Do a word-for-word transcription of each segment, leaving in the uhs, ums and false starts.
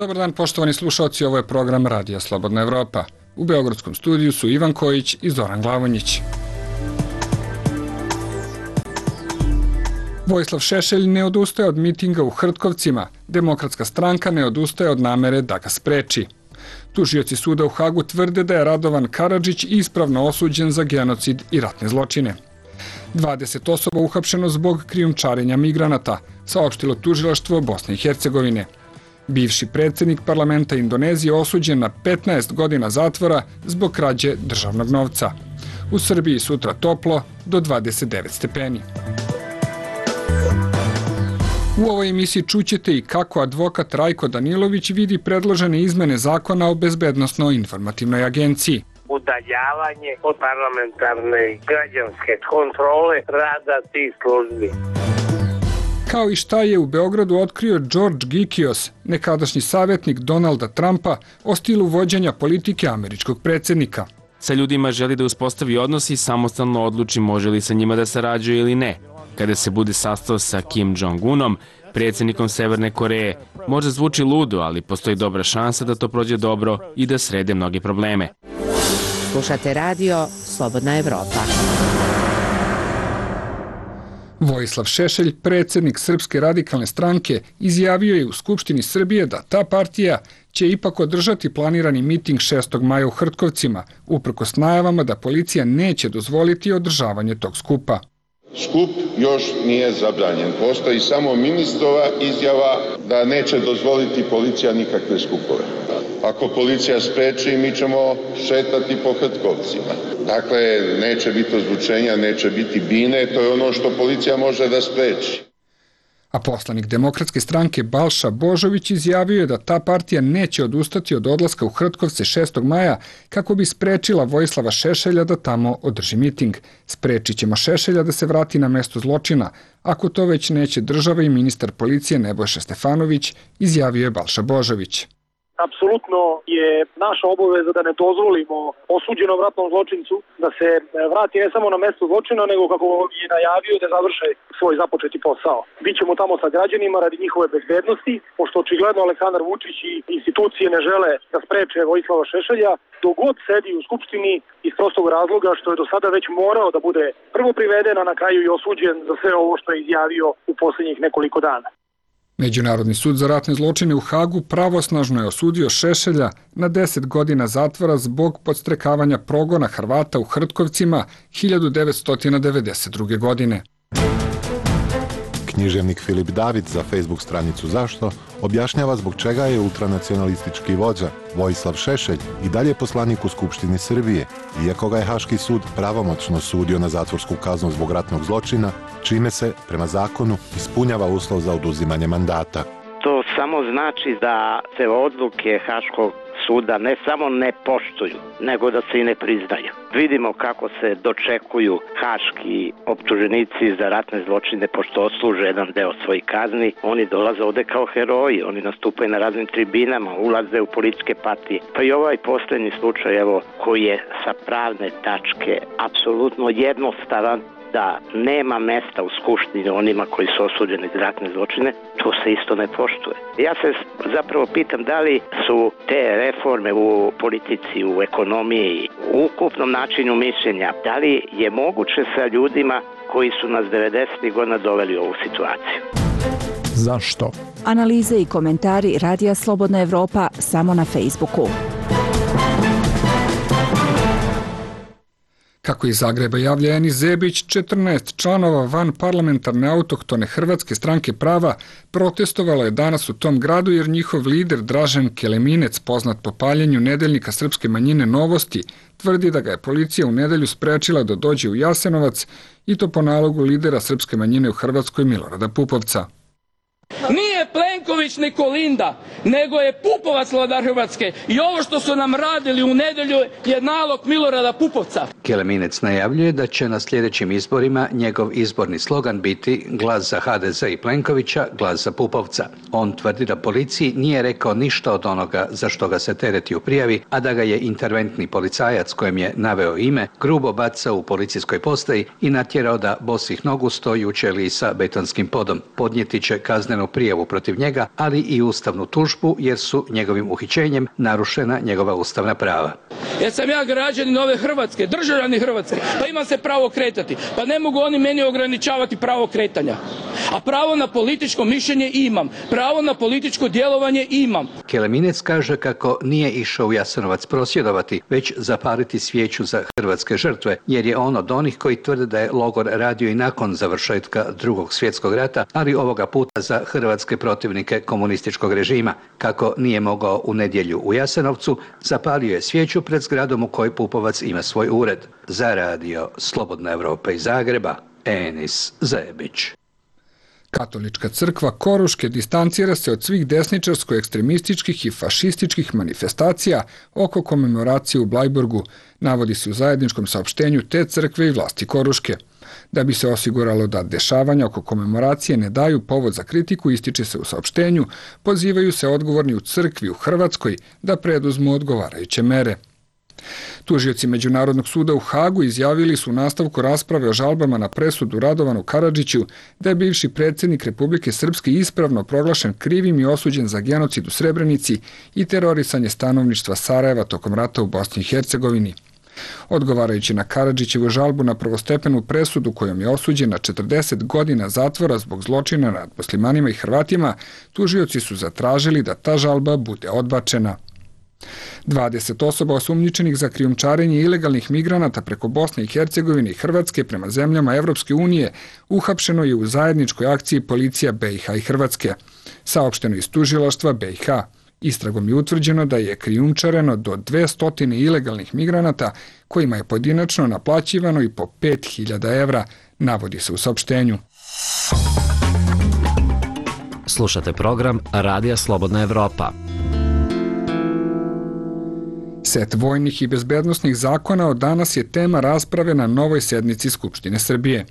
Dobar dan, poštovani slušalci, ovo je program Radija Slobodna Evropa. U Beogradskom studiju su Ivan Kojić i Zoran Glavonjić. Vojislav Šešelj ne odustaje od mitinga u Hrtkovcima. Demokratska stranka ne odustaje od namere da ga spreči. Tužioci suda u Hagu tvrde da je Radovan Karadžić ispravno osuđen za genocid i ratne zločine. dvadeset osoba uhapšeno zbog krijumčarenja migranata, saopštilo tužilaštvo Bosne i Hercegovine. Bivši predsjednik parlamenta Indonezije osuđen na petnaest godina zatvora zbog krađe državnog novca. U Srbiji sutra toplo do dvadeset devet stepeni. U ovoj emisiji čućete i kako advokat Rajko Danilović vidi predložene izmene zakona o bezbednosno-informativnoj agenciji. Udaljavanje od parlamentarne građanske kontrole rada tih službi. Kao i šta je u Beogradu otkrio George Gikios, nekadašnji savjetnik Donalda Trumpa, o stilu vođenja politike američkog predsjednika. Sa ljudima želi da uspostavi odnos i samostalno odluči može li sa njima da sarađuje ili ne. Kada se bude sastao sa Kim Jong-unom, predsjednikom Severne Koreje, možda zvuči ludo, ali postoji dobra šansa da to prođe dobro i da srede mnoge probleme. Slušate radio Slobodna Evropa. Vojislav Šešelj, predsjednik Srpske radikalne stranke, izjavio je u Skupštini Srbije da ta partija će ipak održati planirani miting šestog maja u Hrtkovcima, uprkos najavama da policija neće dozvoliti održavanje tog skupa. Skup još nije zabranjen. Postoji samo ministrova izjava da neće dozvoliti policija nikakve skupove. Ako policija spreči, mi ćemo šetati po Hrtkovcima. Dakle, neće biti ozvučenja, neće biti bine, to je ono što policija može da spreči. A poslanik Demokratske stranke Balša Božović izjavio je da ta partija neće odustati od odlaska u Hrtkovce šestog maja kako bi sprečila Vojislava Šešelja da tamo održi miting. Sprečit ćemo Šešelja da se vrati na mesto zločina. Ako to već neće država i ministar policije Nebojša Stefanović, izjavio je Balša Božović. Apsolutno je naša obaveza da ne dozvolimo osuđenom ratnom zločincu da se vrati ne samo na mesto zločina, nego kako je najavio da završe svoj započeti posao. Bićemo tamo sa građanima radi njihove bezbednosti, pošto očigledno Aleksandar Vučić i institucije ne žele da spreče Vojislava Šešelja, dok god sedi u Skupštini iz prostog razloga što je do sada već morao da bude prvo priveden, a na kraju i osuđen za sve ovo što je izjavio u posljednjih nekoliko dana. Međunarodni sud za ratne zločine u Hagu pravosnažno je osudio Šešelja na deset godina zatvora zbog podstrekavanja progona Hrvata u Hrtkovcima hiljadu devetsto devedeset druge. godine. Književnik Filip David za Facebook stranicu Zašto objašnjava zbog čega je ultranacionalistički vođa Vojislav Šešelj i dalje poslanik u Skupštini Srbije, iako ga je Haški sud pravomoćno sudio na zatvorsku kaznu zbog ratnog zločina, čime se, prema zakonu, ispunjava uslov za oduzimanje mandata. To samo znači da se odluke Haškog suda ne samo ne poštuju, nego da se i ne priznaju. Vidimo kako se dočekuju haški optuženici za ratne zločine pošto odsluže jedan deo svojih kazni. Oni dolaze ovde kao heroji, oni nastupaju na raznim tribinama, ulaze u političke partije. Pa i ovaj posljednji slučaj, evo, koji je sa pravne tačke apsolutno jednostavan, da nema mesta u Skupštini onima koji su osuđeni za ratne zločine, to se isto ne poštuje. Ja se zapravo pitam da li su te reforme u politici, u ekonomiji, u ukupnom načinu mišljenja, da li je moguće sa ljudima koji su nas devedesetih godina doveli u ovu situaciju. Zašto? Analize i komentari Radija Slobodna Evropa samo na Facebooku. Kako iz Zagreba javlja Enis Zebić, četrnaest članova van parlamentarne autohtone Hrvatske stranke prava protestovalo je danas u tom gradu jer njihov lider Dražen Keleminec, poznat po paljenju nedeljnika srpske manjine Novosti, tvrdi da ga je policija u nedelju sprečila da dođe u Jasenovac i to po nalogu lidera srpske manjine u Hrvatskoj Milorada Pupovca. Nije Plenković ni Kolinda, nego je Pupovac vladar Hrvatske i ovo što su nam radili u nedelju je nalog Milorada Pupovca. Keleminec najavljuje da će na sljedećim izborima njegov izborni slogan biti glas za ha de ze i Plenkovića, glas za Pupovca. On tvrdi da policiji nije rekao ništa od onoga za što ga se tereti u prijavi, a da ga je interventni policajac kojem je naveo ime grubo bacao u policijskoj postaji i natjerao da bosih nogu stoji u ćeliji sa betonskim podom. Podnijeti će kaznenu prijavu protiv njega, ali i ustavnu tužbu jer su njegovim uhićenjem narušena njegova ustavna prava. Jer sam ja građanin ove Hrvatske, državljani Hrvatske, pa imam se pravo kretati. Pa ne mogu oni meni ograničavati pravo kretanja. A pravo na političko mišljenje imam. Pravo na političko djelovanje imam. Keleminec kaže kako nije išao u Jasenovac prosvjedovati, već zapaliti svijeću za hrvatske žrtve, jer je on od onih koji tvrde da je logor radio i nakon završetka Drugog svjetskog rata, ali ovoga puta za hrvatske protivnike komunističkog režima. Kako nije mogao u nedjelju u Jasenovcu, zapalio je svijeću pred zgradom u kojoj Pupovac ima svoj ured. Za radio Slobodna Evropa iz Zagreba, Enis Zebić. Katolička crkva Koruške distancira se od svih desničarsko-ekstremističkih i fašističkih manifestacija oko komemoracije u Blajburgu, navodi se u zajedničkom saopštenju te crkve i vlasti Koruške. Da bi se osiguralo da dešavanja oko komemoracije ne daju povod za kritiku, ističe se u saopštenju, pozivaju se odgovorni u crkvi u Hrvatskoj da preduzmu odgovarajuće mere. Tužioci Međunarodnog suda u Hagu izjavili su u nastavku rasprave o žalbama na presudu Radovanu Karadžiću da je bivši predsjednik Republike Srpske ispravno proglašen krivim i osuđen za genocid u Srebrenici i terorisanje stanovništva Sarajeva tokom rata u Bosni i Hercegovini. Odgovarajući na Karadžićevu žalbu na prvostepenu presudu kojom je osuđen na četrdeset godina zatvora zbog zločina nad muslimanima i Hrvatima, tužioci su zatražili da ta žalba bude odbačena. dvadeset osoba osumnjičenih za krijumčarenje ilegalnih migranata preko Bosne i Hercegovine i Hrvatske prema zemljama Evropske unije uhapšeno je u zajedničkoj akciji policija B i H i Hrvatske. Saopšteno iz tužilaštva B i H. Istragom je utvrđeno da je krijumčareno do dvesta ilegalnih migranata kojima je pojedinačno naplaćivano i po pet hiljada evra, navodi se u saopštenju. Slušate program Radija Slobodna Evropa. Set vojnih i bezbednosnih zakona od danas je tema rasprave na novoj sednici Skupštine Srbije.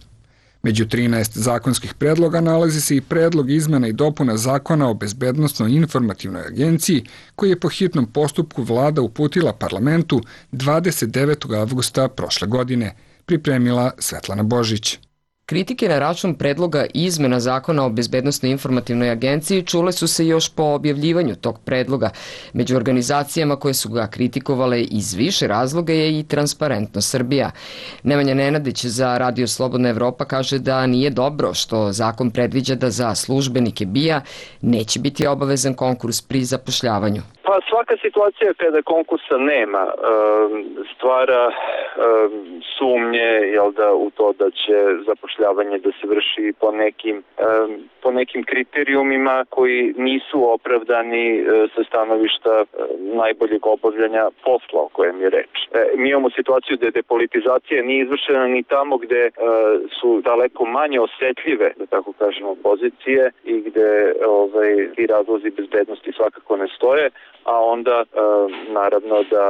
Među trinaest zakonskih predloga nalazi se i predlog izmena i dopuna zakona o bezbednosno-informativnoj agenciji koji je po hitnom postupku vlada uputila parlamentu dvadeset devetog avgusta prošle godine, pripremila Svetlana Božić. Kritike na račun predloga izmena zakona o bezbednosnoj informativnoj agenciji čule su se još po objavljivanju tog predloga. Među organizacijama koje su ga kritikovale iz više razloga je i Transparentno Srbija. Nemanja Nenadić za Radio Slobodna Evropa kaže da nije dobro što zakon predviđa da za službenike B I A neće biti obavezan konkurs pri zapošljavanju. Pa svaka situacija kada konkursa nema stvara sumnje jel da, u to da će zapošljavanje da se vrši po nekim, po nekim kriterijumima koji nisu opravdani sa stanovišta najboljeg obavljanja posla o kojem je reč. Mi imamo situaciju da depolitizacija nije izvršena ni tamo gde su daleko manje osetljive, da tako kažemo, pozicije i gde ovaj, ti razlozi bezbednosti svakako ne stoje, a onda e, naravno da,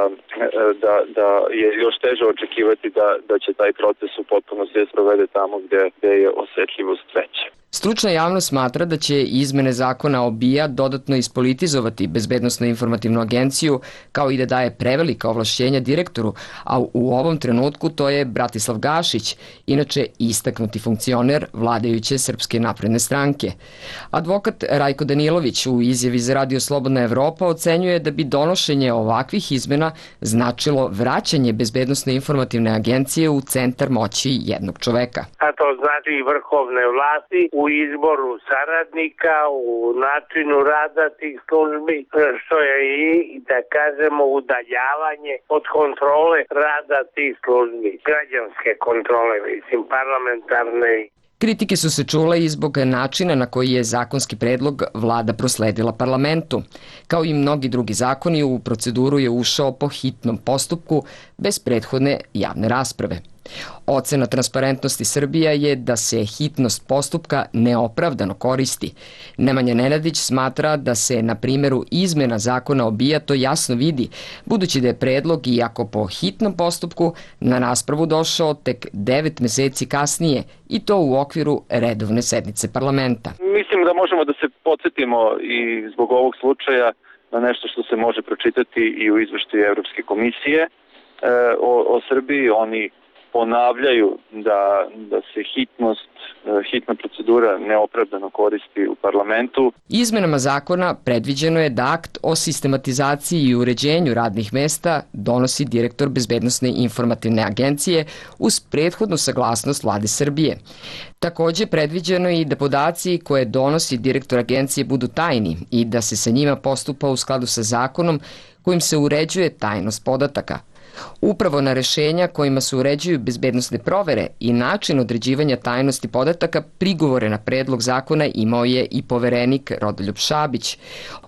da, da je još teže očekivati da, da će taj proces u potpunosti da se provede tamo gde, gde je osetljivost veća. Stručna javnost smatra da će izmene zakona o B I A dodatno ispolitizovati bezbednosno-informativnu agenciju, kao i da daje prevelika ovlašćenja direktoru, a u ovom trenutku to je Bratislav Gašić, inače istaknuti funkcioner vladajuće Srpske napredne stranke. Advokat Rajko Danilović u izjavi za Radio Slobodna Evropa ocenjuje da bi donošenje ovakvih izmena značilo vraćanje bezbednosno-informativne agencije u centar moći jednog čoveka. A to znači vrhovne vlasti u izboru saradnika, u načinu rada tih službi, što je i, da kažemo, udaljavanje od kontrole rada tih službi, građanske kontrole, mislim, parlamentarne. Kritike su se čule i zbog načina na koji je zakonski predlog vlada prosledila parlamentu. Kao i mnogi drugi zakoni, u proceduru je ušao po hitnom postupku bez prethodne javne rasprave. Ocena Transparentnosti Srbija je da se hitnost postupka neopravdano koristi. Nemanja Nenadić smatra da se na primjeru izmena zakona o B I A to jasno vidi, budući da je predlog, iako po hitnom postupku, na raspravu došao tek devet meseci kasnije i to u okviru redovne sednice parlamenta. Mislim da možemo da se podsjetimo i zbog ovog slučaja na nešto što se može pročitati i u izveštaju Evropske komisije e, o, o Srbiji. Oni ponavljaju da, da se hitnost, hitna procedura neopravdano koristi u parlamentu. Izmenama zakona predviđeno je da akt o sistematizaciji i uređenju radnih mesta donosi direktor Bezbednosne informativne agencije uz prethodnu saglasnost Vlade Srbije. Takođe, predviđeno je i da podaci koje donosi direktor agencije budu tajni i da se sa njima postupa u skladu sa zakonom kojim se uređuje tajnost podataka. Upravo na rešenja kojima se uređuju bezbednosne provere i način određivanja tajnosti podataka prigovore na predlog zakona imao je i poverenik Rodoljub Šabić.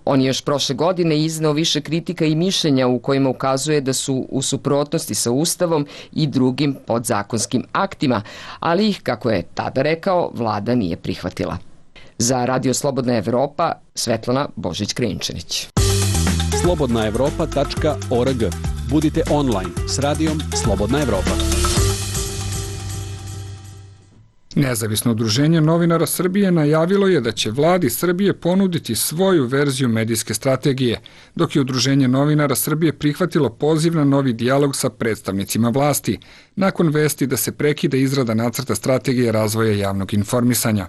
On je još prošle godine izneo više kritika i mišljenja u kojima ukazuje da su u suprotnosti sa Ustavom i drugim podzakonskim aktima, ali ih, kako je tada rekao, vlada nije prihvatila. Za Radio Slobodna Evropa, Svetlana Božić-Krinčanić. slobodna evropa tačka org. Budite online s radijom Slobodna Evropa. Nezavisno udruženje novinara Srbije najavilo je da će vladi Srbije ponuditi svoju verziju medijske strategije, dok je udruženje novinara Srbije prihvatilo poziv na novi dijalog sa predstavnicima vlasti, nakon vesti da se prekida izrada nacrta strategije razvoja javnog informisanja.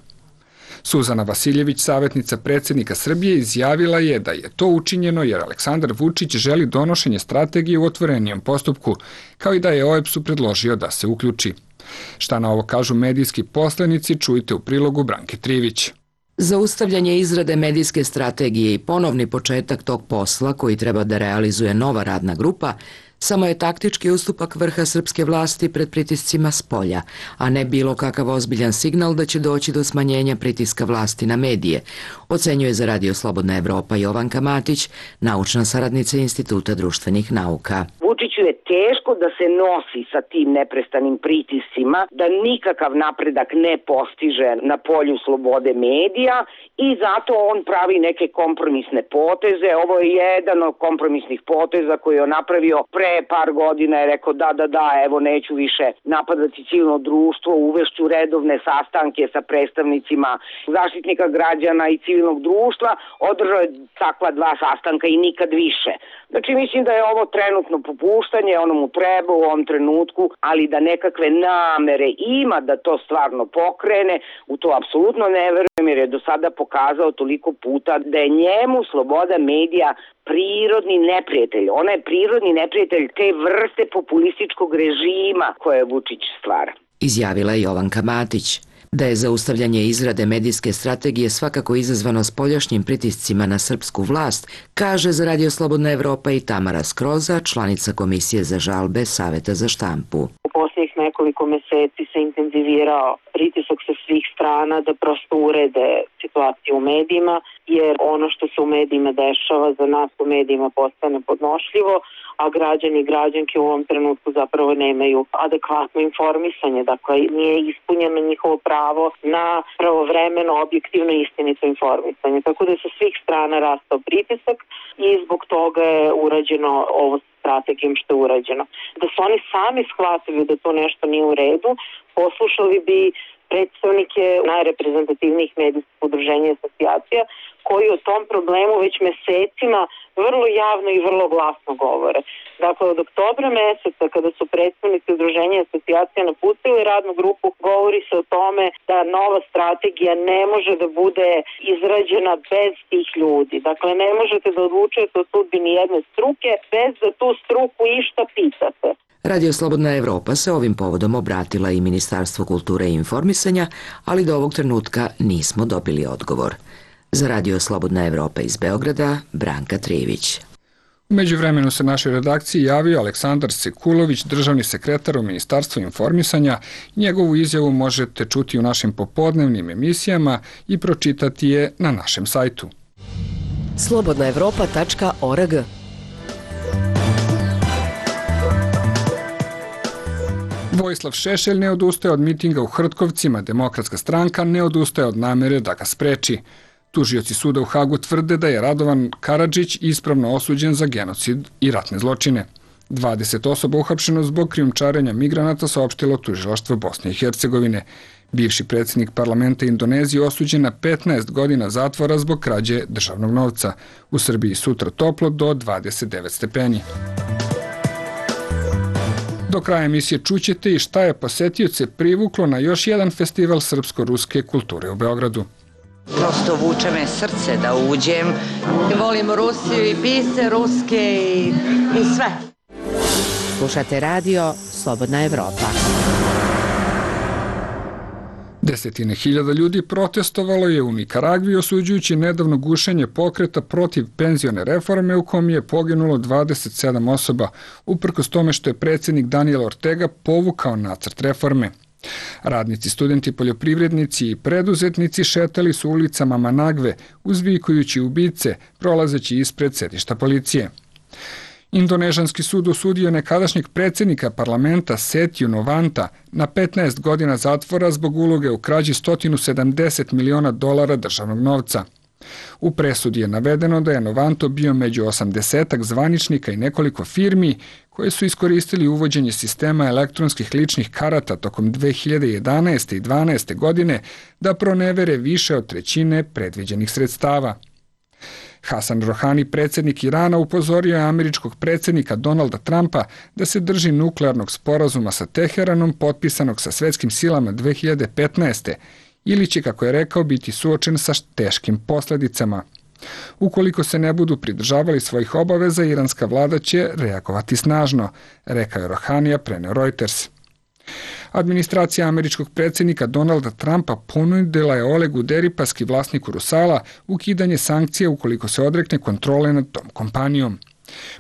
Suzana Vasiljević, savjetnica predsjednika Srbije, izjavila je da je to učinjeno jer Aleksandar Vučić želi donošenje strategije u otvorenijem postupku, kao i da je O E B S-u predložio da se uključi. Šta na ovo kažu medijski poslenici, čujte u prilogu Branke Trivić. Zaustavljanje izrade medijske strategije i ponovni početak tog posla koji treba da realizuje nova radna grupa samo je taktički ustupak vrha srpske vlasti pred pritiscima s polja, a ne bilo kakav ozbiljan signal da će doći do smanjenja pritiska vlasti na medije, ocenjuje za Radio Slobodna Evropa Jovanka Matić, naučna saradnica Instituta društvenih nauka. Vučiću je teško da se nosi sa tim neprestanim pritiscima, da nikakav napredak ne postiže na polju slobode medija i zato on pravi neke kompromisne poteze. Ovo je jedan od kompromisnih poteza koji je on napravio pre par godina, je rekao da, da, da, evo neću više napadati civilno društvo, uvešću redovne sastanke sa predstavnicima Zaštitnika građana i civilnog društva, održao je takva dva sastanka i nikad više. Znači mislim da je ovo trenutno popuštanje, ono mu treba u ovom trenutku, ali da nekakve namere ima da to stvarno pokrene, u to apsolutno ne verujem jer je do sada pokazao toliko puta da je njemu sloboda medija prirodni neprijatelj. Ona je prirodni neprijatelj te vrste populističkog režima koje Vučić stvara. Izjavila je Jovanka Matić. Da je zaustavljanje izrade medijske strategije svakako izazvano spoljašnjim pritiscima na srpsku vlast, kaže za Radio Slobodna Evropa i Tamara Skroza, članica Komisije za žalbe Saveta za štampu. U posljednjih nekoliko meseci se intenzivirao pritisak sa svih strana da prosto urede situaciju u medijima, jer ono što se u medijima dešava za nas u medijima postane podnošljivo, a građani i građanke u ovom trenutku zapravo nemaju adekvatno informisanje, dakle nije ispunjeno njihovo pravo na pravovremeno, objektivno i istinito informisanje. Tako da je sa svih strana rastao pritisak i zbog toga je urađeno ovo strategijom što je urađeno. Da su oni sami shvatili da to nešto nije u redu, poslušali bi predstavnike najreprezentativnijih medijskih udruženja i asocijacija koji o tom problemu već mesecima vrlo javno i vrlo glasno govore. Dakle, od oktobra meseca kada su predstavnici udruženja i asocijacija napustili radnu grupu, govori se o tome da nova strategija ne može da bude izrađena bez tih ljudi. Dakle, ne možete da odlučujete o sudbini jedne struke bez da tu struku išta pitate. Radio Slobodna Evropa se ovim povodom obratila i Ministarstvu kulture i informisanja, ali do ovog trenutka nismo dobili odgovor. Za Radio Slobodna Evropa iz Beograda, Branka Trivić. U međuvremenu se našoj redakciji javio Aleksandar Sekulović, državni sekretar u Ministarstvu informisanja. Njegovu izjavu možete čuti u našim popodnevnim emisijama i pročitati je na našem sajtu. slobodna evropa tačka org. Vojislav Šešelj ne odustaje od mitinga u Hrtkovcima, Demokratska stranka ne odustaje od namere da ga spreči. Tužioci suda u Hagu tvrde da je Radovan Karadžić ispravno osuđen za genocid i ratne zločine. dvadeset osoba uhapšeno zbog krijumčarenja migranata, saopštilo tužilaštvo Bosne i Hercegovine. Bivši predsjednik parlamenta Indonezije osuđen na petnaest godina zatvora zbog krađe državnog novca. U Srbiji sutra toplo do dvadeset devet stepeni. Do kraja emisije čućete i šta je posetioce privuklo na još jedan festival srpsko-ruske kulture u Beogradu. Prosto vuče me srce da uđem. Volim Rusiju i pise ruske i, i sve. Slušate radio Slobodna Evropa. Desetine hiljada ljudi protestovalo je u Nikaragvi osuđujući nedavno gušenje pokreta protiv penzione reforme u kom je poginulo dvadeset sedam osoba, uprkos tome što je predsjednik Daniel Ortega povukao nacrt reforme. Radnici, studenti, poljoprivrednici i preduzetnici šetali su ulicama Managve, uzvikujući ubice, prolazeći ispred sedišta policije. Indonežanski sud osudio nekadašnjeg predsjednika parlamenta Setiju Novanta na petnaest godina zatvora zbog uloge u krađi sto sedamdeset miliona dolara državnog novca. U presudi je navedeno da je Novanto bio među osamdesetak zvaničnika i nekoliko firmi koje su iskoristili uvođenje sistema elektronskih ličnih karata tokom dve hiljade jedanaeste i dvanaeste godine da pronevere više od trećine predviđenih sredstava. Hasan Rohani, predsjednik Irana, upozorio je američkog predsjednika Donalda Trumpa da se drži nuklearnog sporazuma sa Teheranom potpisanog sa svetskim silama dve hiljade petnaeste. ili će, kako je rekao, biti suočen sa teškim posljedicama. Ukoliko se ne budu pridržavali svojih obaveza, iranska vlada će reagovati snažno, rekao je Rohanija, preneo Reuters. Administracija američkog predsjednika Donalda Trumpa ponudila je Olegu Deripaski, vlasniku Rusala, ukidanje sankcija ukoliko se odrekne kontrole nad tom kompanijom.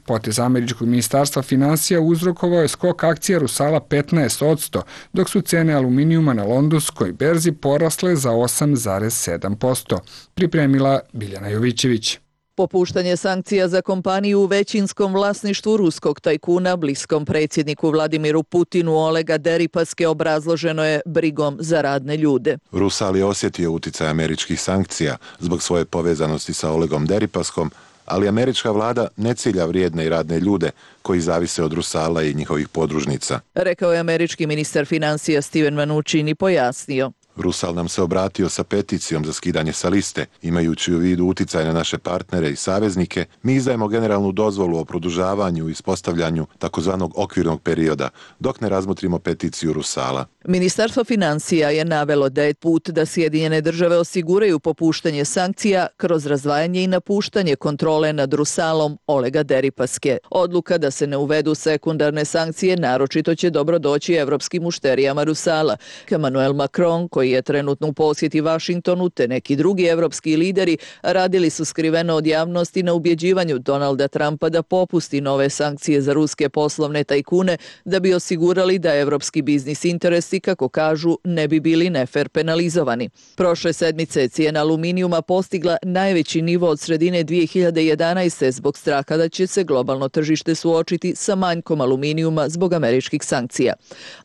Potez američkog ministarstva finansija uzrokovao je skok akcija Rusala petnaest posto, dok su cene aluminijuma na londonskoj berzi porasle za osam zarez sedam posto, pripremila Biljana Jovićević. Popuštanje sankcija za kompaniju u većinskom vlasništvu ruskog tajkuna bliskom predsjedniku Vladimiru Putinu Olega Deripaske obrazloženo je brigom za radne ljude. Rusal je osjetio uticaj američkih sankcija zbog svoje povezanosti sa Olegom Deripaskom, ali američka vlada ne cilja vrijedne i radne ljude koji zavise od Rusala i njihovih podružnica. Rekao je američki ministar financija Steven Mnuchin i pojasnio. Rusal nam se obratio sa peticijom za skidanje sa liste. Imajući u vidu uticaj na naše partnere i saveznike, mi izdajemo generalnu dozvolu o produžavanju i ispostavljanju takozvanog okvirnog perioda, dok ne razmotrimo peticiju Rusala. Ministarstvo financija je navelo da je put da Sjedinjene države osiguraju popuštanje sankcija kroz razdvajanje i napuštanje kontrole nad Rusalom Olega Deripaske. Odluka da se ne uvedu sekundarne sankcije naročito će dobro doći evropskim mušterijama Rusala. Emmanuel Macron, koji je trenutno u posjeti Vašingtonu, te neki drugi evropski lideri radili su skriveno od javnosti na ubjeđivanju Donalda Trumpa da popusti nove sankcije za ruske poslovne tajkune da bi osigurali da evropski biznis interesi, kako kažu, ne bi bili nefer penalizovani. Prošle sedmice je cijena aluminijuma postigla najveći nivo od sredine dvije hiljade jedanaeste zbog straha da će se globalno tržište suočiti sa manjkom aluminijuma zbog američkih sankcija.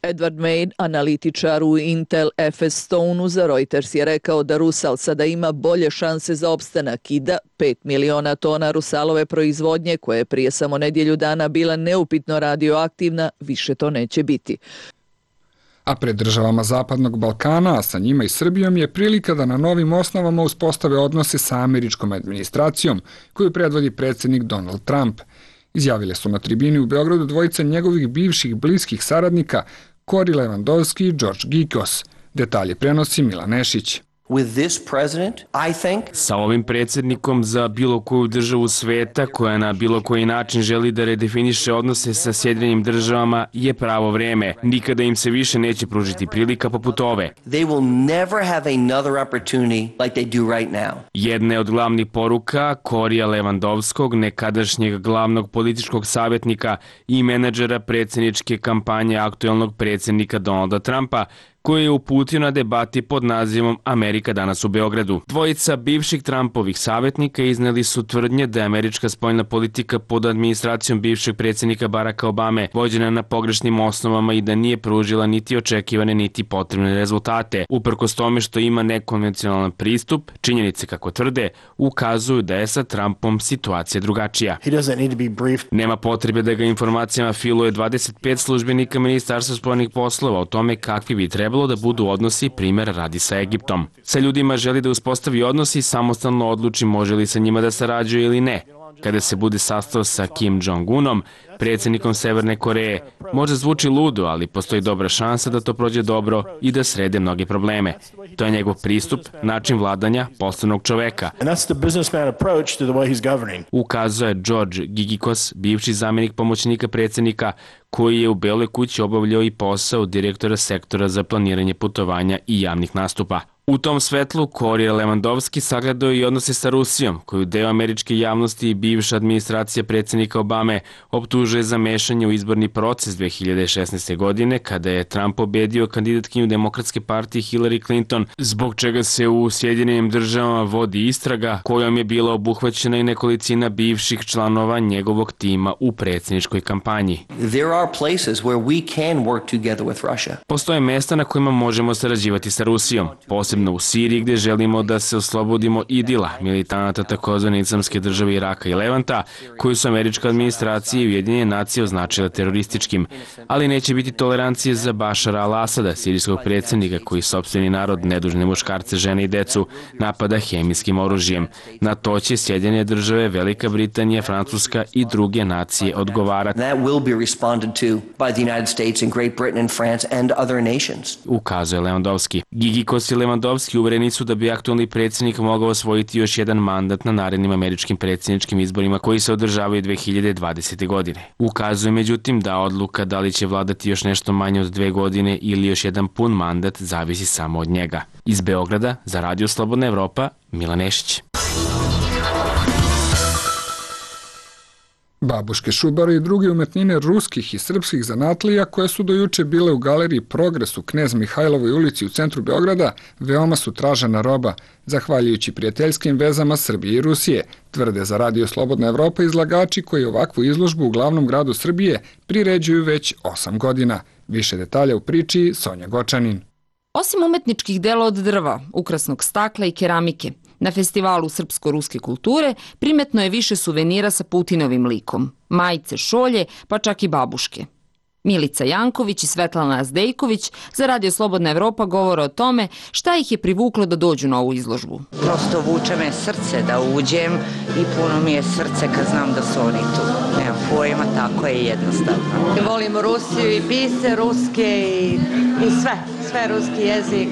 Edward Main, analitičar u Intel F S Stoneu za Reuters, je rekao da Rusal sada ima bolje šanse za opstanak i da pet miliona tona Rusalove proizvodnje, koje je prije samo nedjelju dana bila neupitno radioaktivna, više to neće biti. A pred državama Zapadnog Balkana, a sa njima i Srbijom, je prilika da na novim osnovama uspostave odnose sa američkom administracijom, koju predvodi predsjednik Donald Trump. Izjavile su na tribini u Beogradu dvojica njegovih bivših bliskih saradnika, Kori Levandovski i George Gikos. Detalje prenosi Milan Nešić. Sa ovim predsjednikom za bilo koju državu sveta koja na bilo koji način želi da redefiniše odnose sa Sjedinjenim državama je pravo vreme. Nikada im se više neće pružiti prilika poput ove. Jedna je od glavnih poruka Korija Levandovskog, nekadašnjeg glavnog političkog savjetnika i menadžera predsjedničke kampanje aktuelnog predsjednika Donalda Trumpa, koji je uputio na debati pod nazivom Amerika danas u Beogradu. Dvojica bivših Trumpovih savjetnika izneli su tvrdnje da je američka spoljna politika pod administracijom bivšeg predsjednika Baracka Obame vođena na pogrešnim osnovama i da nije pružila niti očekivane niti potrebne rezultate. Uprkos tome što ima nekonvencionalan pristup, činjenice, kako tvrde, ukazuju da je sa Trumpom situacija drugačija. Nema potrebe da ga informacijama filuje dvadeset pet službenika Ministarstva spoljnih poslova o tome kakvi bi trebali da budu odnosi, primjer radi sa Egiptom. Sa ljudima želi da uspostavi odnosi i samostalno odluči može li sa njima da sarađuje ili ne. kada se bude sastao sa Kim Jong-unom, predsjednikom Severne Koreje. Možda zvuči ludo, ali postoji dobra šansa da to prođe dobro i da srede mnoge probleme. To je njegov pristup, način vladanja poslovnog čoveka. Ukazuje George Gigikos, bivši zamjenik pomoćnika predsjednika, koji je u Beloj kući obavljao i posao direktora sektora za planiranje putovanja i javnih nastupa. U tom svetlu Korija Lewandowski sagledao i odnose sa Rusijom, koju deo američke javnosti i bivša administracija predsjednika Obame optužuje za mešanje u izborni proces dve hiljade šesnaeste. godine, kada je Trump pobedio kandidatkinju Demokratske partije Hillary Clinton, zbog čega se u Sjedinjenim državama vodi istraga kojom je bila obuhvaćena i nekolicina bivših članova njegovog tima u predsjedničkoj kampanji. Postoje mesta na kojima možemo sarađivati sa Rusijom, posebno u Siriji gdje želimo da se oslobodimo idila, militanata takozvane islamske države Iraka i Levanta, koju su američka administracija i Ujedinjene nacije označile terorističkim. Ali neće biti tolerancije za Bašara al-Asada, sirijskog predsjednika koji sopstveni narod, nedužne muškarce, žene i decu, napada hemijskim oružjem. Na to će Sjedinjene države, Velika Britanija, Francuska i druge nacije odgovarati. Ukazuje Lewandowski. Gigikos i Lewandowski uvereni su da bi aktualni predsjednik mogao osvojiti još jedan mandat na narednim američkim predsjedničkim izborima koji se održavaju dve hiljade dvadesete. godine. Ukazuje međutim da odluka da li će vladati još nešto manje od dve godine ili još jedan pun mandat zavisi samo od njega. Iz Beograda za Radio Slobodna Evropa, Milan Nešić. Babuške, šubare i druge umetnine ruskih i srpskih zanatlija koje su do juče bile u galeriji Progres u Knez Mihajlovoj ulici u centru Beograda veoma su tražena roba, zahvaljujući prijateljskim vezama Srbije i Rusije, tvrde za Radio Slobodna Evropa izlagači koji ovakvu izložbu u glavnom gradu Srbije priređuju već osam godina. Više detalja u priči Sonja Gočanin. Osim umetničkih dela od drva, ukrasnog stakla i keramike, na festivalu srpsko-ruske kulture primetno je više suvenira sa Putinovim likom, majice, šolje, pa čak i babuške. Milica Janković i Svetlana Zdejković za Radio Slobodna Evropa govore o tome šta ih je privuklo da dođu na ovu izložbu. Prosto vuče me srce da uđem i puno mi je srce kad znam da su oni tu. Nemam pojma, tako je jednostavno. Volim Rusiju i pise ruske i, i sve, sve ruski jezik,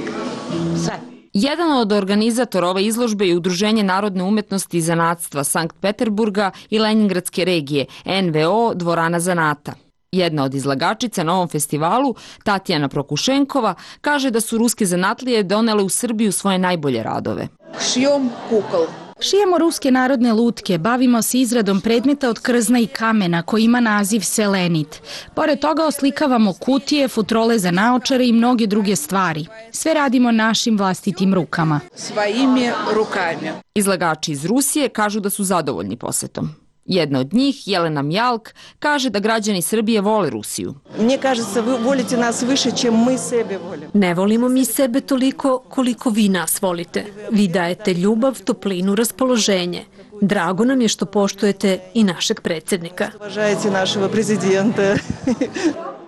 sve. Jedan od organizatora ove izložbe je Udruženje narodne umetnosti i zanatstva Sankt Peterburga i Leningradske regije, N V O Dvorana zanata. Jedna od izlagačica na ovom festivalu, Tatjana Prokušenkova, kaže da su ruske zanatlije donele u Srbiju svoje najbolje radove. Šijom kukol. Šijemo ruske narodne lutke, bavimo se izradom predmeta od krzna i kamena koji ima naziv selenit. Pored toga oslikavamo kutije, futrole za naočare i mnoge druge stvari. Sve radimo našim vlastitim rukama. Svojim rukama. Izlagači iz Rusije kažu da su zadovoljni posetom. Jedna od njih, Jelena Mjalk, kaže da građani Srbije vole Rusiju. Mne kažется, vi volite nas više, čem mi sebe volimo. Ne volimo mi sebe toliko koliko vi nas volite. Vi dajete ljubav, toplinu, raspoloženje. Drago nam je što poštujete i našeg predsjednika. Uvažajte našeg prezidenta.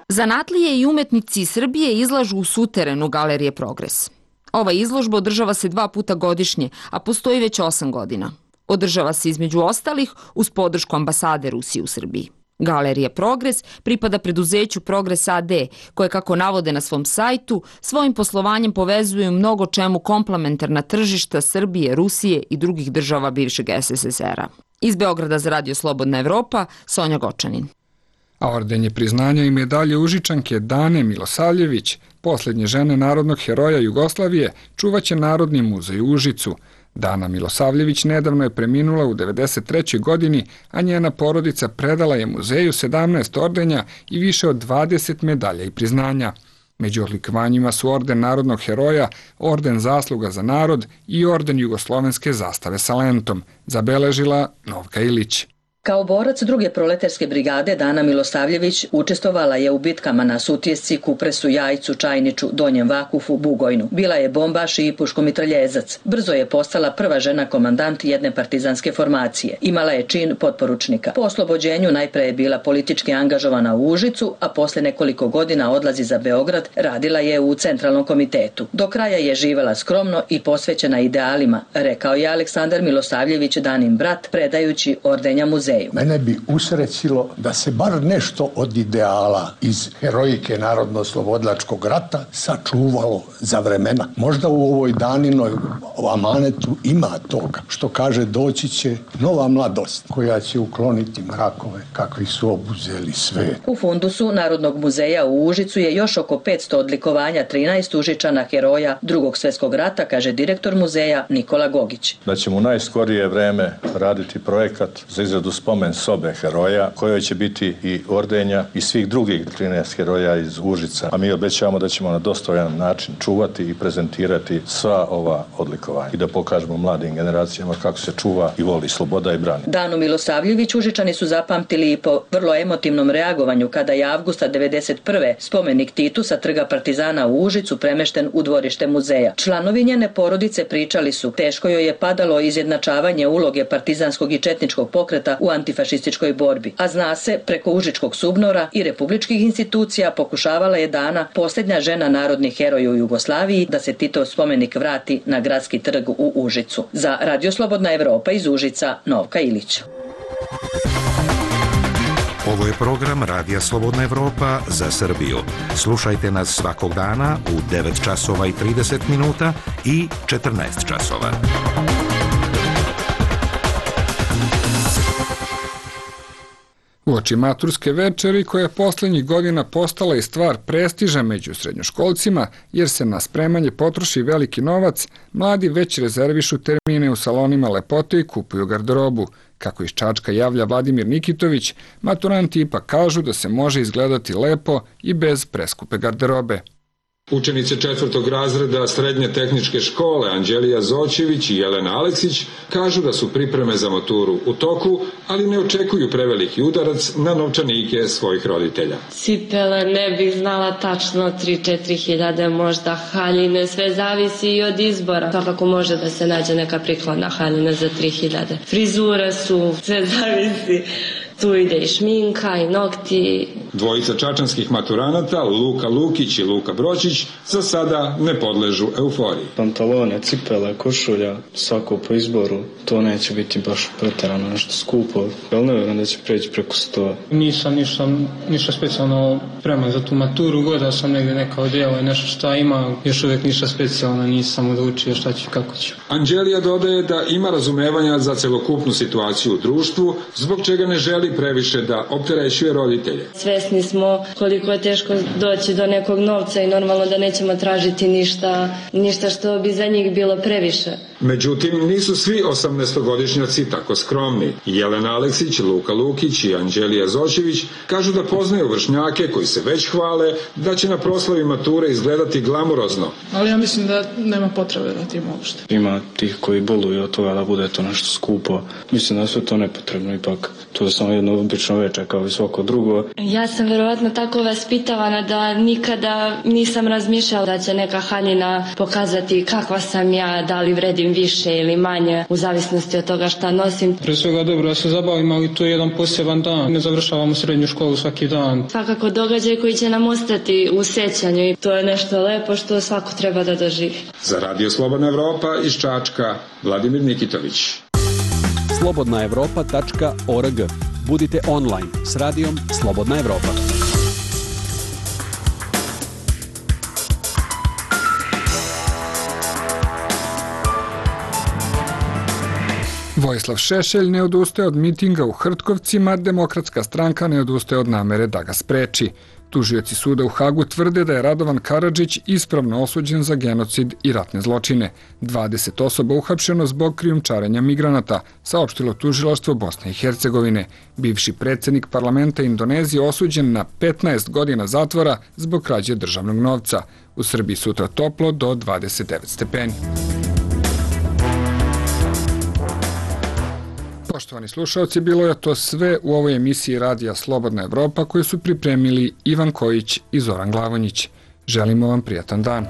Zanatlije i umetnici iz Srbije izlažu u suterenu Galerije Progres. Ova izložba održava se dva puta godišnje, a postoji već osam godina. Održava se između ostalih uz podršku ambasade Rusije u Srbiji. Galerija Progres pripada preduzeću Progres A D, koje, kako navode na svom sajtu, svojim poslovanjem povezuju mnogo čemu komplementarna tržišta Srbije, Rusije i drugih država bivšeg S S S R-a. Iz Beograda za Radio Slobodna Evropa, Sonja Gočanin. A ordenje priznanja i medalje Užičanke Dane Milosavljević, posljednje žene narodnog heroja Jugoslavije, čuvaće Narodni muzej u Užicu. Dana Milosavljević nedavno je preminula u devedeset trećoj godini, a njena porodica predala je muzeju sedamnaest ordenja i više od dvadeset medalja i priznanja. Među odlikovanjima su orden narodnog heroja, orden zasluga za narod i orden jugoslovenske zastave sa lentom, zabeležila Novka Ilić. Kao borac druge proletarske brigade Dana Milosavljević učestvovala je u bitkama na Sutjesci, Kupresu, Jajcu, Čajniču, Donjem Vakufu, Bugojnu. Bila je bombaš i puškomitraljezac. Brzo je postala prva žena komandant jedne partizanske formacije. Imala je čin potporučnika. Po oslobođenju najpre je bila politički angažovana u Užicu, a posle nekoliko godina odlazi za Beograd, radila je u Centralnom komitetu. Do kraja je živela skromno i posvećena idealima, rekao je Aleksandar Milosavljević, Danin brat, predajući ordenja muzeju. Mene bi usrećilo da se bar nešto od ideala iz herojike narodno-slobodlačkog rata sačuvalo za vremena. Možda u ovoj Daninoj amanetu ima toga, što kaže doći će nova mladost koja će ukloniti mrakove kakvi su obuzeli svet. U fundusu Narodnog muzeja u Užicu je još oko petsto odlikovanja trinaest Užičana heroja Drugog svjetskog rata, kaže direktor muzeja Nikola Gogić. Da ćemo u najskorije vreme raditi projekat za izradu spomen sobe heroja, kojoj će biti i ordenja i svih drugih trinaest heroja iz Užica. A mi obećavamo da ćemo na dostojan način čuvati i prezentirati sva ova odlikovanja i da pokažemo mladim generacijama kako se čuva i voli sloboda i brani. Danu Milosavljević Užičani su zapamtili i po vrlo emotivnom reagovanju kada je avgusta devedeset prve spomenik Titu sa trga Partizana u Užicu premešten u dvorište muzeja. Članovi njene porodice pričali su, teško joj je padalo izjednačavanje uloge partizanskog i četničkog pokreta u antifašističkoj borbi, a zna se, preko Užičkog subnora i republičkih institucija pokušavala je Dana, posljednja žena narodnih heroja u Jugoslaviji, da se Titov spomenik vrati na gradski trg u Užicu. Za Radio Slobodna Evropa iz Užica, Novka Ilić. Ovo je program Radija Slobodna Evropa za Srbiju. Slušajte nas svakog dana u devet časova i trideset minuta i četrnaest časova. Uoči maturske večeri, koja je poslednjih godina postala i stvar prestiža među srednjoškolcima, jer se na spremanje potroši veliki novac, mladi već rezervišu termine u salonima lepote i kupuju garderobu. Kako iz Čačka javlja Vladimir Nikitović, maturanti ipak kažu da se može izgledati lepo i bez preskupe garderobe. Učenice četvrtog razreda Srednje tehničke škole Anđelija Zoćević i Jelena Aleksić kažu da su pripreme za maturu u toku, ali ne očekuju preveliki udarac na novčanike svojih roditelja. Cipele ne bih znala tačno, tri do četiri hiljade, možda haljine, sve zavisi i od izbora. Svakako može da se nađe neka prikladna haljina za tri hiljade. Frizure su, sve zavisi. Tu ide i šminka i nokti. Dvojica čačanskih maturanata, Luka Lukić i Luka Bročić, za sada ne podležu euforiji. Pantalone, cipele, košulja, svako po izboru, to neće biti baš preterano nešto skupo, ali ne vjerujem da će preći preko sto. Nisam ništa, ništa specijalno preman za tu maturu, godao sam negdje neka odjela i nešto šta ima, još uvijek ništa specijalno, nisam odlučio šta ću i kako ću. Anđelija dodaje da ima razumevanja za celokupnu situaciju u društvu, zbog čega ne želi previše da opterećuje roditelje. Svesni smo koliko je teško doći do nekog novca i normalno da nećemo tražiti ništa, ništa što bi za njih bilo previše. Međutim, nisu svi osamnaestogodišnjaci tako skromni. Jelena Aleksić, Luka Lukić i Anđelija Zoćević kažu da poznaju vršnjake koji se već hvale da će na proslavi mature izgledati glamurozno. Ali ja mislim da nema potrebe da tim uopšte. Ima tih koji boluju od toga da bude to nešto skupo. Mislim da je sve to nepotrebno ipak. To je samo jedno obično večer kao i svako drugo. Ja sam verovatno tako vaspitavana da nikada nisam razmišljala da će neka haljina pokazati kakva sam ja, da li vredim više ili manje, u zavisnosti od toga šta nosim. Pre svega dobro da se zabavimo, ali to je jedan poseban dan. Ne završavamo srednju školu svaki dan. Svakako događaj koji će nam ostati u sećanju i to je nešto lepo što svako treba da doživi. Za Radio Slobodna Evropa iz Čačka, Vladimir Nikitović. slobodna evropa tačka org. Budite online s radijom Slobodna Evropa. Vojislav Šešelj ne odustaje od mitinga u Hrtkovcima, Demokratska stranka ne odustaje od namere da ga spreči. Tužioci suda u Hagu tvrde da je Radovan Karadžić ispravno osuđen za genocid i ratne zločine. dvadeset osoba uhapšeno zbog krijumčarenja migranata, saopštilo tužilaštvo Bosne i Hercegovine. Bivši predsjednik parlamenta Indonezije osuđen na petnaest godina zatvora zbog krađe državnog novca. U Srbiji sutra toplo do dvadeset devet stepeni. Poštovani slušalci, bilo je to sve u ovoj emisiji Radija Slobodna Evropa koju su pripremili Ivan Kojić i Zoran Glavonjić. Želimo vam prijatan dan.